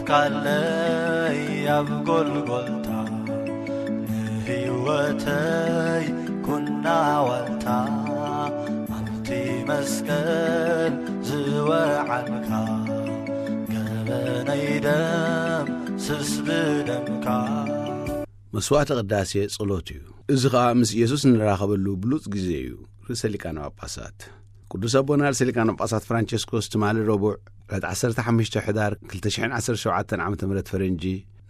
ካለይ ኣብ ጎልጎልታ፣ ንህይወተይ ኩና ዋልታ፣ ኣብቲ መስቀል ዝወዓልካ፣ ገበነይ ደምስስ ብደምካ። መስዋዕተ ቅዳሴ ጸሎት እዩ። እዚ ኸኣ ምስ ኢየሱስ እንራኸበሉ ብሉጽ ግዜ እዩ። ርእሰ ሊቃነ ጳጳሳት ቅዱስ ኣቦና ርእሰ ሊቃነ ጳጳሳት ፍራንቸስኮስ ትማሊ ረቡዕ ዕለት ዓሰርተ ሓሙሽተ ሕዳር ክልተ ሽሕን ዓሰርተ ሸውዓተን ዓመተ ምህረት ፈረንጂ፣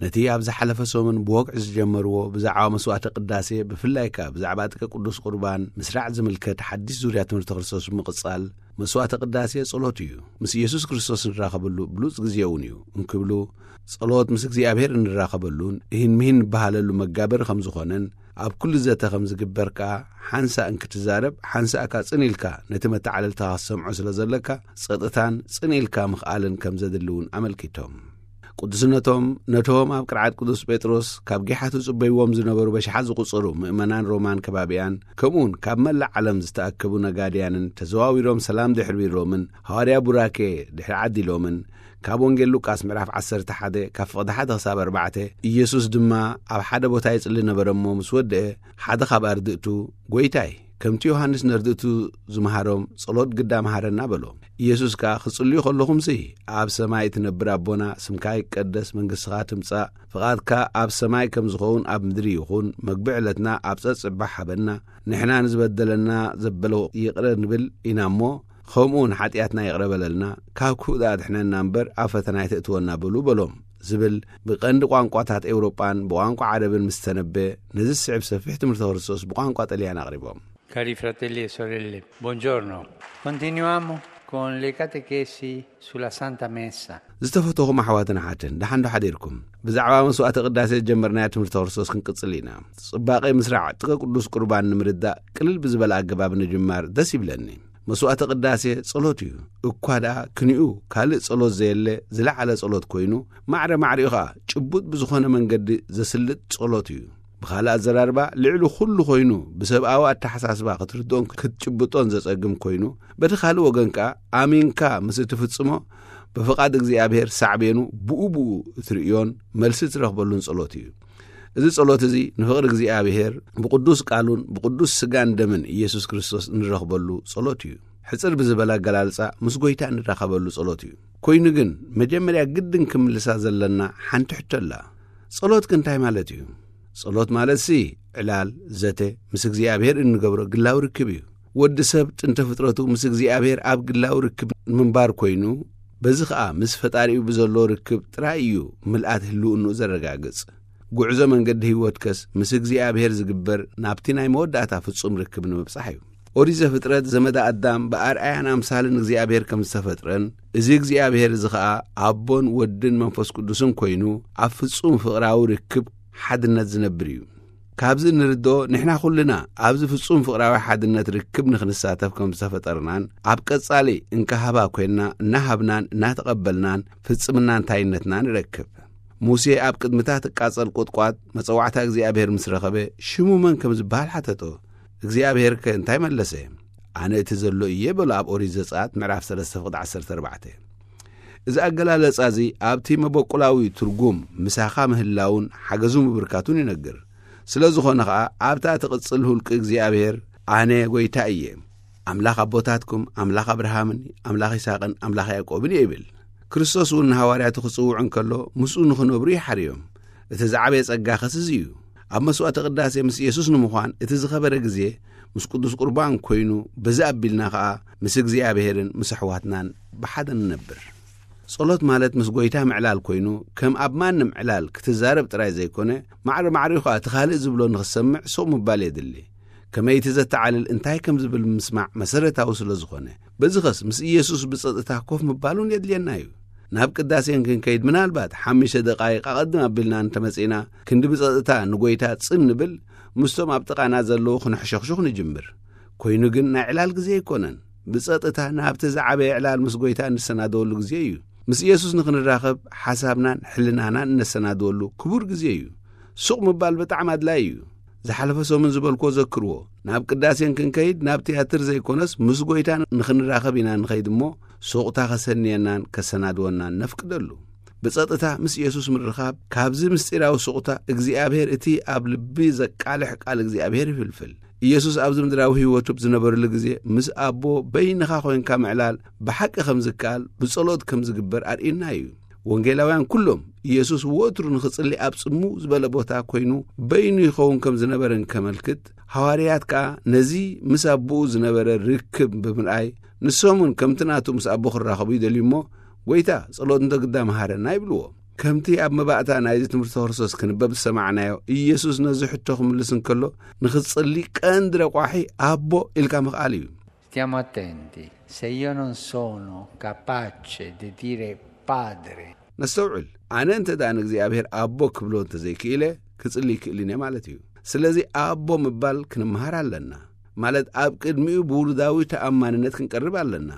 ነቲ ኣብ ዝሓለፈ ሰሙን ብወግዒ ዝጀመርዎ ብዛዕባ መስዋዕተ ቅዳሴ፣ ብፍላይ ከኣ ብዛዕባ ጥቀ ቅዱስ ቁርባን ምስራዕ ዝምልከት ሓድሽ ዙርያ ትምህርቲ ክርስቶስ ብምቕጻል፣ መስዋዕተ ቅዳሴ ጸሎት እዩ፣ ምስ ኢየሱስ ክርስቶስ እንራኸበሉ ብሉጽ ግዜ እውን እዩ እንክብሉ፣ ጸሎት ምስ እግዚኣብሔር እንራኸበሉን እሂን ምሂን እንበሃለሉ መጋበሪ ከም ዝኾነን፣ ኣብ ኩሉ ዘተ ከም ዝግበር ከኣ፣ ሓንሳእ እንክትዛረብ፣ ሓንሳእካ ጽን ኢልካ ነቲ መተዓለልታ ክትሰምዖ ስለ ዘለካ፣ ጸጥታን ጽን ኢልካ ምኽኣልን ከም ዘድሊ እውን ኣመልኪቶም። ቅዱስነቶም ነቶም ኣብ ቅርዓት ቅዱስ ጴጥሮስ ካብ ጌሓ ትጽበይዎም ዝነበሩ በሽሓት ዝቑጸሩ ምእመናን ሮማን ከባቢኣን፣ ከምኡውን ካብ መላእ ዓለም ዝተኣከቡ ነጋድያንን ተዘዋዊሮም ሰላም ድሕሪ ቢሎምን፣ ሃዋርያ ቡራኬ ድሕሪ ዓዲሎምን፣ ካብ ወንጌል ሉቃስ ምዕራፍ ዓሰርተ ሓደ ካብ ፍቕዲ ሓደ ክሳብ ኣርባዕተ፣ ኢየሱስ ድማ ኣብ ሓደ ቦታ ይጽሊ ነበረ እሞ ምስ ወድአ፣ ሓደ ካብ ኣርድእቱ፣ "ጐይታይ፣ ከምቲ ዮሃንስ ነርድእቱ ዝመሃሮም ጸሎት ግዳ መሃረና" በሎ። ኢየሱስ ከኣ፣ "ክጽልዩ ከለኹምሲ፣ ኣብ ሰማይ እትነብር ኣቦና፣ ስምካ ይቀደስ፣ መንግስትኻ ትምጻእ፣ ፍቓድካ ኣብ ሰማይ ከም ዝኸውን ኣብ ምድሪ ይኹን፣ መግቢ ዕለትና ኣብ ጸጽባሕ ሃበና፣ ንሕና ንዝበደለና ዘበሎ ይቕረ ንብል ኢና እሞ፣ ከምኡ እውን ሓጢኣትና ይቕረ በለልና፣ ካብ ክፉእ ደኣ ኣድሕነና እምበር፣ ኣብ ፈተና ኣይተእትወና" በሉ በሎም ዝብል ብቐንዲ ቋንቋታት ኤውሮጳን ብቋንቋ ዓረብን ምስ ተነበየ፣ ነዚ ዝስዕብ ሰፊሕ ትምህርቲ ክርስቶስ ብቋንቋ ጥልያን ኣቕሪቦም። Cari fratelli e sorelle, buongiorno. Continuiamo con le catechesi sulla Santa Messa. ዝተፈተኹም ኣሕዋትን ኣሓትን፣ ደሓን ዶ ሓዲርኩም? ብዛዕባ መስዋዕተ ቅዳሴ ዝጀመርናዮ ትምህርቲ ክርስቶስ ክንቅጽል ኢና። ጽባቐ ምስራዕ ጥቀ ቅዱስ ቁርባን ንምርዳእ ቅልል ብዝበለ ኣገባብ ንጅማር ደስ ይብለኒ። መስዋዕተ ቅዳሴ ጸሎት እዩ። እኳ ደኣ ክንኡ ካልእ ጸሎት ዘየለ ዝለዓለ ጸሎት ኮይኑ፣ ማዕረ ማዕሪኡ ኸኣ ጭቡጥ ብዝኾነ መንገዲ ዘስልጥ ጸሎት እዩ። ብኻልእ ኣዘራርባ፣ ልዕሊ ኩሉ ኮይኑ ብሰብኣዊ ኣተሓሳስባ ክትርድኦን ክትጭብጦን ዘጸግም ኮይኑ፣ በቲ ካልእ ወገን ከኣ ኣሚንካ ምስ እትፍጽሞ፣ ብፍቓድ እግዚኣብሔር ሳዕቤኑ ብኡ ብኡ እትርእዮን መልሲ እትረኽበሉን ጸሎት እዩ። እዚ ጸሎት እዚ ንፍቕሪ እግዚኣብሔር ብቅዱስ ቃሉን ብቅዱስ ስጋን ደምን ኢየሱስ ክርስቶስ እንረኽበሉ ጸሎት እዩ። ሕጽር ብዝበለ ኣገላልጻ ምስ ጐይታ እንራኸበሉ ጸሎት እዩ። ኮይኑ ግን መጀመርያ ግድን ክምልሳ ዘለና ሓንቲ ሕቶ ኣላ። ጸሎት ከ እንታይ ማለት እዩ? ጸሎት ማለትሲ ዕላል፣ ዘተ፣ ምስ እግዚኣብሔር እንገብሮ ግላዊ ርክብ እዩ። ወዲ ሰብ ጥንተ ፍጥረቱ ምስ እግዚኣብሔር ኣብ ግላዊ ርክብ ምንባር ኮይኑ፣ በዚ ኸኣ ምስ ፈጣሪኡ ብዘሎ ርክብ ጥራይ እዩ ምልኣት ህልውንኡ ዘረጋግጽ። ጉዕዞ መንገዲ ህይወትከስ ምስ እግዚኣብሔር ዝግበር ናብቲ ናይ መወዳእታ ፍጹም ርክብ ንምብጻሕ እዩ። ኦሪት ዘፍጥረት ዘመደ ኣዳም ብኣርኣያን ኣምሳልን እግዚኣብሔር ከም ዝተፈጥረን፣ እዚ እግዚኣብሔር እዚ ኸኣ ኣቦን ወድን መንፈስ ቅዱስን ኮይኑ ኣብ ፍጹም ፍቕራዊ ርክብ ሓድነት ዝነብር እዩ። ካብዚ እንርድኦ ንሕና ኩልና ኣብዚ ፍጹም ፍቕራዊ ሓድነት ርክብ ንኽንሳተፍ ከም ዝተፈጠርናን ኣብ ቀጻሊ እንካሃባ ኮይንና እናሃብናን እናተቐበልናን ፍጽምና እንታይነትና ንረክብ። ሙሴ ኣብ ቅድሚታ ትቃጸል ቁጥቋጥ መጸዋዕታ እግዚኣብሔር ምስ ረኸበ ሽሙ መን ከም ዝበሃል ሓተቶ። እግዚኣብሔር ከ እንታይ መለሰ? ኣነ እቲ ዘሎ እየ በሎ ኣብ ኦሪት ዘጸኣት ምዕራፍ ሰለስተ ፍቕዲ ዓሰርተ ኣርባዕተ። እዚ ኣገላለጻ እዚ ኣብቲ መበቁላዊ ትርጉም ምሳኻ ምህላውን ሓገዙ ምብርካቱን ይነግር። ስለ ዝኾነ ኸኣ ኣብታ ትቕጽል ሁልቂ እግዚኣብሔር ኣነ ጐይታ እየ፣ ኣምላኽ ኣቦታትኩም፣ ኣምላኽ ኣብርሃምን፣ ኣምላኽ ይስሐቅን፣ ኣምላኽ ያዕቆብን እየ ይብል። ክርስቶስ እውን ንሃዋርያቱ ክጽውዕ እንከሎ ምስኡ ንኽነብሩ ይሓርዮም። እቲ ዝዓበየ ጸጋ ኸስ እዚ እዩ። ኣብ መስዋዕተ ቅዳሴ ምስ ኢየሱስ ንምዃን እቲ ዝኸበረ ግዜ ምስ ቅዱስ ቁርባን ኮይኑ፣ በዚ ኣቢልና ኸኣ ምስ እግዚኣብሔርን ምስ ኣሕዋትናን ብሓደ ንነብር። ጸሎት ማለት ምስ ጐይታ ምዕላል ኮይኑ፣ ከም ኣብ ማንም ዕላል ክትዛረብ ጥራይ ዘይኮነ፣ ማዕረ ማዕሪኡ ኸኣ እቲ ካልእ ዝብሎ ንኽሰምዕ ሱቕ ምባል የድሊ። ከመይ እቲ ዘተዓልል እንታይ ከም ዝብል ምስማዕ መሰረታዊ ስለ ዝኾነ፣ በዚ ኸስ ምስ ኢየሱስ ብጸጥታ ኮፍ ምባል እውን የድልየና እዩ። ናብ ቅዳሴ እንክንከይድ ምናልባት ሓሙሽተ ደቓይቕ ኣቐድም ኣቢልና እንተመጺእና፣ ክንዲ ብጸጥታ ንጐይታ ጽን ንብል፣ ምስቶም ኣብ ጥቓና ዘለዉ ክንሕሸኽሹኽ ንጅምር። ኮይኑ ግን ናይ ዕላል ግዜ ኣይኮነን። ብጸጥታ ናብቲ ዝዓበየ ዕላል ምስ ጐይታ እንሰናደወሉ ግዜ እዩ። ምስ ኢየሱስ ንኽንራኸብ ሓሳብናን ሕልናናን እነሰናድወሉ ክቡር ግዜ እዩ። ሱቕ ምባል ብጣዕሚ ኣድላዪ እዩ። ዝሓለፈ ሰሙን ዝበልክዎ ዘክርዎ። ናብ ቅዳሴ እንክንከይድ ናብ ትያትር ዘይኮነስ ምስ ጐይታ ንኽንራኸብ ኢና ንኸይድ እሞ፣ ሱቕታ ከሰንየናን ከሰናድወናን ነፍቅደሉ። ብጸጥታ ምስ ኢየሱስ ምርኻብ ካብዚ ምስጢራዊ ስቑታ እግዚኣብሔር፣ እቲ ኣብ ልቢ ዘቃልሕ ቃል እግዚኣብሔር ይፍልፍል። ኢየሱስ ኣብዚ ምድራዊ ህይወቱ ብዝነበረሉ ግዜ ምስ ኣቦ በይንኻ ኮይንካ ምዕላል ብሓቂ ከም ዝከኣል ብጸሎት ከም ዝግበር ኣርእዩና እዩ። ወንጌላውያን ኩሎም ኢየሱስ ወትሩ ንኽጽሊ ኣብ ጽምው ዝበለ ቦታ ኮይኑ በይኑ ይኸውን ከም ዝነበረ እንከመልክት፣ ሃዋርያት ከኣ ነዚ ምስ ኣቦኡ ዝነበረ ርክብ ብምርኣይ ንሶም እውን ከምቲ ናቱ ምስ ኣቦ ክራኸቡ ይደልዩ እሞ፣ "ጐይታ፣ ጸሎት እንተ ግዳ መሃረና" ይብልዎ። ከምቲ ኣብ መባእታ ናይዚ ትምህርቲ ክርስቶስ ክንበብ ዝሰማዕናዮ፣ ኢየሱስ ነዚ ሕቶ ክምልስ እንከሎ፣ ንኽትጽሊ ቀንዲ ረቋሒ ኣቦ ኢልካ ምኽኣል እዩ። Stiamo attenti, se io non sono capace di dire padre, ነስተውዕል። ኣነ እንተ ደኣ ንእግዚኣብሔር ኣቦ ክብሎ እንተ ዘይክኢለ፣ ክጽሊ ይክእልን እየ ማለት እዩ። ስለዚ ኣቦ ምባል ክንምሃር ኣለና። ማለት ኣብ ቅድሚኡ ብውሉዳዊ ተኣማንነት ክንቀርብ ኣለና።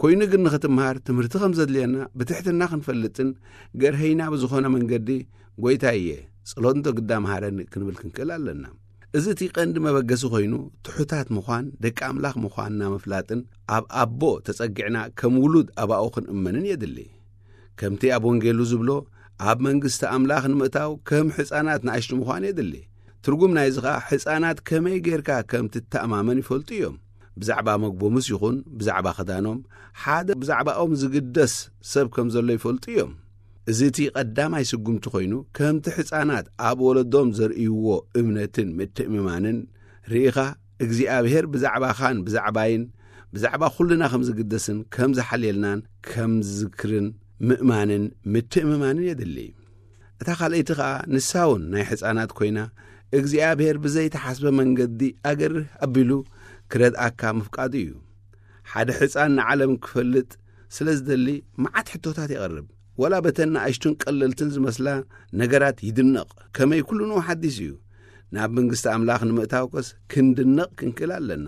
ኮይኑ ግን ንኽትምሃር ትምህርቲ ከም ዘድልየና ብትሕትና ክንፈልጥን ገርሀይና ብዝኾነ መንገዲ "ጐይታየ፣ ጸሎት እንተ ግዳ መሃረኒ" ክንብል ክንክእል ኣለና። እዚ እቲ ቀንዲ መበገሲ ኮይኑ ትሑታት ምዃን ደቂ ኣምላኽ ምዃንና ምፍላጥን ኣብ ኣቦ ተጸጊዕና ከም ውሉድ ኣባኡ ክንእመንን የድሊ። ከምቲ ኣብ ወንጌሉ ዝብሎ ኣብ መንግስቲ ኣምላኽ ንምእታው ከም ሕፃናት ንኣሽቱ ምዃን የድሊ። ትርጉም ናይዚ ኸኣ ሕፃናት ከመይ ጌርካ ከም ትተኣማመን ይፈልጡ እዮም። ብዛዕባ መግቦምስ ይኹን ብዛዕባ ክዳኖም ሓደ ብዛዕባኦም ዝግደስ ሰብ ከም ዘሎ ይፈልጡ እዮም። እዚ እቲ ቀዳማይ ስጉምቲ ኮይኑ ከምቲ ሕፃናት ኣብ ወለዶም ዘርእይዎ እምነትን ምትእምማንን ርኢኻ እግዚኣብሔር ብዛዕባኻን ብዛዕባይን ብዛዕባ ኩልና ከም ዝግደስን ከም ዝሓልየልናን ከም ዝዝክርን ምእማንን ምትእምማንን የድሊ። እታ ካልኣይቲ ኸኣ ንሳ እውን ናይ ሕፃናት ኮይና እግዚኣብሔር ብዘይተሓስበ መንገዲ ኣገርህ ኣቢሉ ክረድኣካ ምፍቃዱ እዩ። ሓደ ሕፃን ንዓለም ክፈልጥ ስለ ዝደሊ መዓት ሕቶታት የቕርብ። ወላ በተን ንኣሽቱን ቀለልትን ዝመስላ ነገራት ይድነቕ። ከመይ ኩሉ ንኡ ሓዲስ እዩ። ናብ መንግስቲ ኣምላኽ ንምእታውከስ ክንድነቕ ክንክእል ኣለና።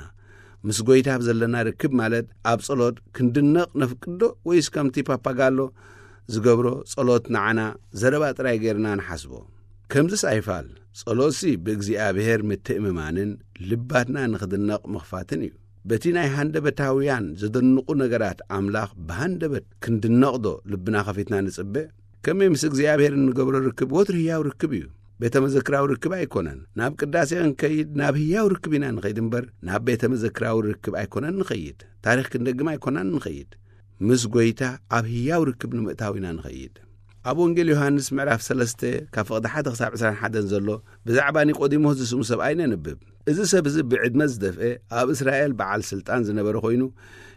ምስ ጐይታ ኣብ ዘለና ርክብ ማለት ኣብ ጸሎት ክንድነቕ ነፍቅዶ ወይስ ከምቲ ፓፓጋሎ ዝገብሮ ጸሎት ንዓና ዘረባ ጥራይ ጌርና ንሓስቦ? ከምዚስ ኣይፋል። ጸሎትሲ ብእግዚኣብሔር ምትእምማንን ልባትና ንኽድነቕ ምኽፋትን እዩ። በቲ ናይ ሃንደበታውያን ዘደንቑ ነገራት ኣምላኽ ብሃንደበት ክንድነቕዶ ልብና ኸፊትና ንጽበ? ከመይ ምስ እግዚኣብሔር እንገብሮ ርክብ ወትሩ ህያው ርክብ እዩ። ቤተ መዘክራዊ ርክብ ኣይኮነን። ናብ ቅዳሴ ክንከይድ ናብ ህያው ርክብ ኢና ንኸይድ እምበር ናብ ቤተ መዘክራዊ ርክብ ኣይኮነን ንኸይድ። ታሪኽ ክንደግም ኣይኮናን ንኸይድ። ምስ ጐይታ ኣብ ህያው ርክብ ንምእታው ኢና ንኸይድ። ኣብ ወንጌል ዮሃንስ ምዕራፍ ሰለስተ ካብ ፍቕዲ ሓደ ክሳብ ዕስራን ሓደን ዘሎ ብዛዕባ ኒቆዲሞስ ዝስሙ ሰብኣይ ነንብብ። እዚ ሰብ እዚ ብዕድመ ዝደፍአ ኣብ እስራኤል በዓል ስልጣን ዝነበረ ኮይኑ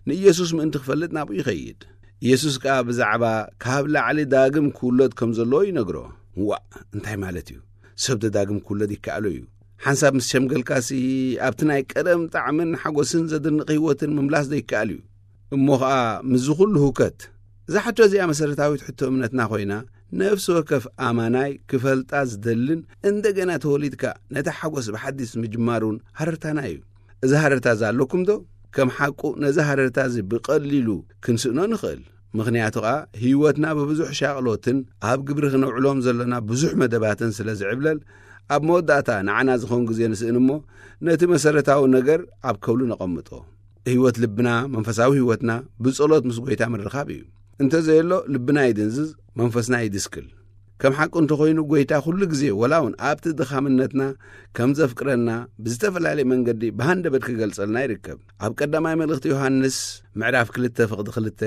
ንኢየሱስ ምእንቲ ክፈልጥ ናብኡ ይኸይድ። ኢየሱስ ከኣ ብዛዕባ ካብ ላዕሊ ዳግም ክውለድ ከም ዘለዎ ይነግሮ። ዋእ፣ እንታይ ማለት እዩ? ሰብ ደዳግም ክውለድ ይከኣሎ እዩ። ሓንሳብ ምስ ሸምገልካሲ ኣብቲ ናይ ቀደም ጣዕምን ሓጎስን ዘደንቕ ህይወትን ምምላስ ዘይከኣል እዩ። እሞ ኸኣ ምስዚ ኩሉ ህውከት እዛ ሕቶ እዚኣ መሰረታዊት ሕቶ እምነትና ኮይና ነፍሲ ወከፍ ኣማናይ ክፈልጣ ዝደልን እንደገና ተወሊድካ ነቲ ሓጎስ ብሓዲስ ምጅማሩን ሃረርታና እዩ። እዚ ሃረርታ እዚ ኣለኩም ዶ? ከም ሓቁ ነዚ ሃረርታ እዚ ብቐሊሉ ክንስእኖ ንኽእል። ምኽንያቱ ኸኣ ህይወትና ብብዙሕ ሻቕሎትን ኣብ ግብሪ ክነውዕሎም ዘለና ብዙሕ መደባትን ስለ ዝዕብለል ኣብ መወዳእታ ንዓና ዝኾን ግዜ ንስእን እሞ ነቲ መሰረታዊ ነገር ኣብ ከብሉ ነቐምጦ። ህይወት ልብና መንፈሳዊ ህይወትና ብጸሎት ምስ ጐይታ ምርኻብ እዩ። እንተዘየሎ ልብና ይድንዝዝ፣ መንፈስና ይድስክል። ከም ሓቁ እንተኾይኑ ጐይታ ኩሉ ግዜ ወላ እውን ኣብቲ ድኻምነትና ከም ዘፍቅረና ብዝተፈላለየ መንገዲ ብሃንደበት ክገልጸልና ይርከብ። ኣብ ቀዳማይ መልእኽቲ ዮሃንስ ምዕራፍ ክልተ ፍቕዲ ክልተ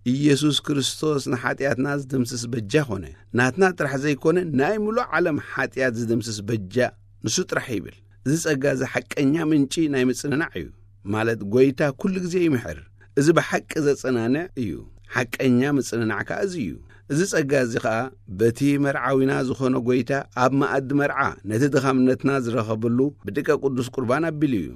ኢየሱስ ክርስቶስ ንሓጢኣትና ዝድምስስ በጃ ኾነ። ናትና ጥራሕ ዘይኮነ ናይ ምሉእ ዓለም ሓጢኣት ዝድምስስ በጃ ንሱ ጥራሕ ይብል። እዚ ጸጋ እዚ ሓቀኛ ምንጪ ናይ ምጽንናዕ እዩ። ማለት ጐይታ ኩሉ ግዜ ይምሕር። እዚ ብሓቂ ዘጸናንዕ እዩ። ሓቀኛ ምጽንናዕ ከኣ እዚ እዩ። እዚ ጸጋ እዚ ኸኣ በቲ መርዓዊና ዝኾነ ጐይታ ኣብ መኣዲ መርዓ ነቲ ድኻምነትና ዝረኸበሉ ብደቀ ቅዱስ ቁርባን ኣቢሉ እዩ።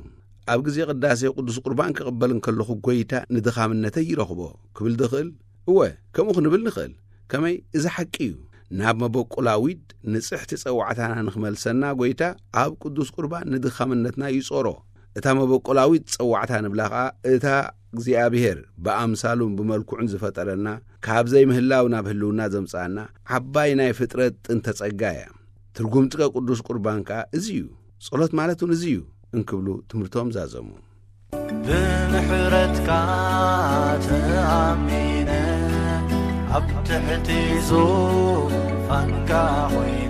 ኣብ ግዜ ቅዳሴ ቅዱስ ቁርባን ክቕበል እንከለኹ ጐይታ ንድኻምነተይ ይረኽቦ ክብል ዝኽእል? እወ፣ ከምኡ ክንብል ንኽእል። ከመይ? እዚ ሓቂ እዩ። ናብ መበቆላዊት ንጽሕቲ ጸዋዕታና ንኽመልሰና ጐይታ ኣብ ቅዱስ ቁርባን ንድኻምነትና ይጾሮ። እታ መበቆላዊት ጸዋዕታ ንብላ ኸኣ እታ እግዚኣብሔር ብኣምሳሉን ብመልክዑን ዝፈጠረና ካብ ዘይምህላው ናብ ህልውና ዘምጽኣና ዓባይ ናይ ፍጥረት ጥንተ ጸጋ እያ። ትርጉም ጥቀ ቅዱስ ቁርባን ከኣ እዚ እዩ። ጸሎት ማለት እውን እዚ እዩ እንክብሉ ትምህርቶም ዛዘሙ። ብምሕረትካ ተኣሚነ ኣብ ትሕቲ ዙፋንካ ኮይኑ